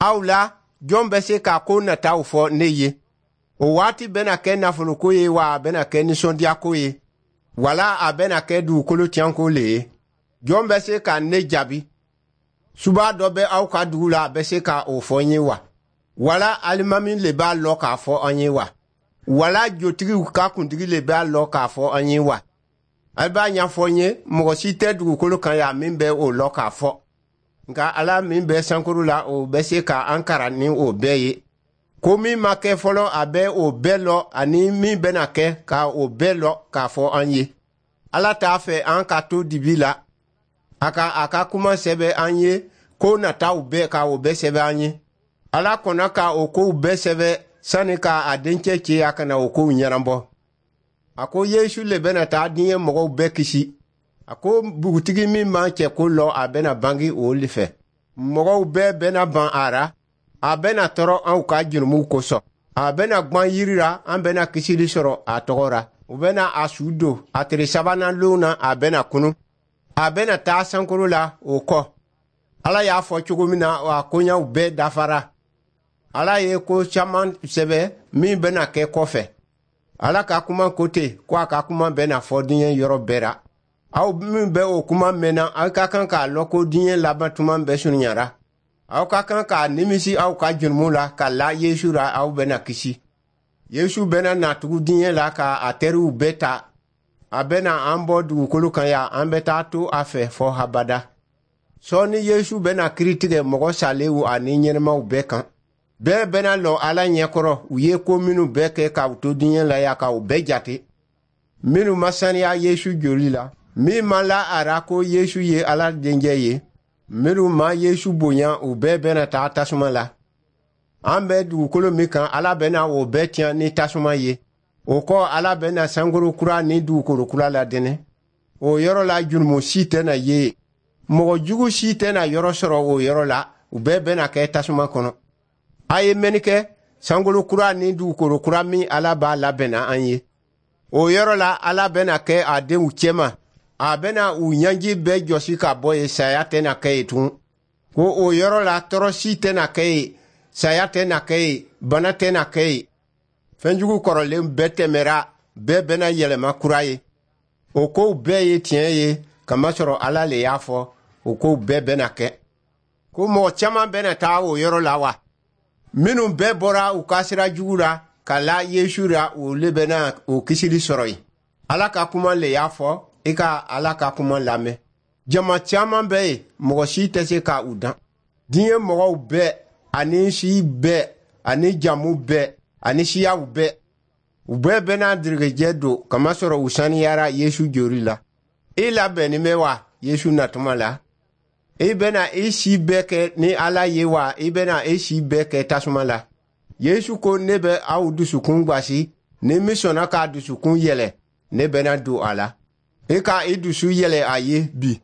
Aw la, jɔn bɛ se ka ko nataw fɔ ne ye? O waati bɛna kɛ nafoloko ye wa, a bɛna kɛ nisɔndiyako ye wala a bɛna kɛ dugukolo tiɲɛko le ye? Jɔn bɛ se ka ne jaabi? Suba dɔ bɛ aw ka dugu la, a bɛ se ka o fɔ n ye wa? Wala alimami le b'a lɔ k'a fɔ an ye wa? Wala jotigiw ka kuntigi le b'a lɔ k'a fɔ an ye wa? A b'a ɲɛfɔ n ye, mɔgɔ si tɛ dugukolo kan yan min bɛ o lɔ k'a fɔ. Nka Ala min bɛ sankolo la, o bɛ se ka an karan ni o bɛɛ ye. Ko min ma kɛ fɔlɔ, a bɛ o bɛɛ lɔ, ani min bɛna kɛ, ka o bɛɛ lɔ k'a fɔ an ye. Ala t'a fɛ an ka to dibi la. A ka a ka kuma sɛbɛ an ye, ko nataw bɛɛ, ka o bɛɛ sɛbɛ an ye. Ala kɔnna ka o kow bɛɛ sɛbɛ sani ka a dencɛ ci a ka na o kow ɲɛnabɔ. A ko Yesu le bɛna taa diɲɛ mɔgɔw bɛɛ kisi. A ko bugutigi min m'an cɛ ko lɔ, a bɛna bange o le fɛ. Mɔgɔw bɛɛ bɛna ban a ra. A bɛna tɔɔrɔ anw ka jurumuw kosɔn. A bɛna gwan yiri la, an bɛna kisili sɔrɔ a tɔgɔ ra. U bɛna a su don. A tere sabanan lon na, a bɛna kunu. A bɛna taa sankolo la o kɔ. Ala y'a fɔ cogo min na, a koɲaw bɛɛ dafara. Ala ye ko caman sɛbɛ min bɛna kɛ kɔfɛ. Ala ka kuma ko ten ko a ka kuma bɛna fɔ diɲɛ yɔrɔ bɛɛ ra. Aw min bɛ o kuma mɛnna, aw ka kan k'a lɔn ko diɲɛ laban tuma bɛɛ surunyara. Aw ka kan k'a nimisi aw ka jurumu la ka la Yesu ra, aw bɛna kisi. Yesu bɛna na tugu diɲɛ la ka a teriw bɛɛ ta. A bɛna an bɔ dugukolo kan yan, an bɛ taa to a fɛ fɔ habada. Sɔɔni Yesu bɛna kiri tigɛ mɔgɔ salenw ani ɲɛnɛmaw bɛɛ kan. Bɛɛ bɛna lɔ Ala ɲɛkɔrɔ, u ye ko minnu bɛɛ kɛ k'u to diɲɛ la yan, k'u bɛɛ jate. Minnu ma saniya Yesu joli la, min ma la a ra ko Yesu ye Ala dencɛ ye, minnu ma Yesu bonya, u bɛɛ bɛna taa tasuma la. An bɛ dugukolo min kan, Ala bɛna o bɛɛ tiɲɛ ni tasuma ye. O kɔ, Ala bɛna sankolo kura ni dugukolo kura ladɛnɛ. O yɔrɔ la, jurumu si tɛna ye, mɔgɔ jugu si tɛna yɔrɔ sɔrɔ o yɔrɔ la. U bɛɛ bɛna kɛ tasuma kɔnɔ. A ye mɛnni kɛ, sankolo kura ni dugukolo kura min Ala b'a labɛnna an ye, o yɔrɔ la, Ala bɛna kɛ a denw cɛma. A bɛna u ɲɛji bɛɛ jɔsi ka bɔ yen. Saya tɛna kɛ yen tugun. Ko o yɔrɔ la, tɔɔrɔ si tɛna kɛ yen, saya tɛna kɛ yen, bana tɛna kɛ yen. Fɛnjugu kɔrɔlen bɛɛ tɛmɛra, bɛɛ bɛna yɛlɛma kura ye. O kow bɛɛ ye tiɲɛ ye, kamasɔrɔ Ala le y'a fɔ. O kow bɛɛ bɛna kɛ. Ko mɔgɔ caman bɛna taa o yɔrɔ la wa? Minnu bɛɛ bɔra u ka sira jugu la ka la Yesu la, olu bɛna o kisili sɔrɔ yen. Ala ka kuma le y'a fɔ. I ka Ala ka kuma lamɛn. Jama caman bɛ yen, mɔgɔ si tɛ se ka u dan. Diɲɛ mɔgɔw bɛɛ ani si bɛɛ ani jamu bɛɛ ani siyaw bɛɛ, u bɛɛ bɛna dirigijɛ don, kamasɔrɔ u saniyara Yesu joli la. I labɛnnin bɛ wa Yesu natuma la? I bɛna i si bɛɛ kɛ ni Ala ye wa, i bɛna i si bɛɛ kɛ tasuma la? Yesu ko: "Ne bɛ aw dusukun gwasi. Ni min sɔnna k'a dusukun yɛlɛ, ne bɛna don a la." I ka i dusu yɛlɛ a ye bi.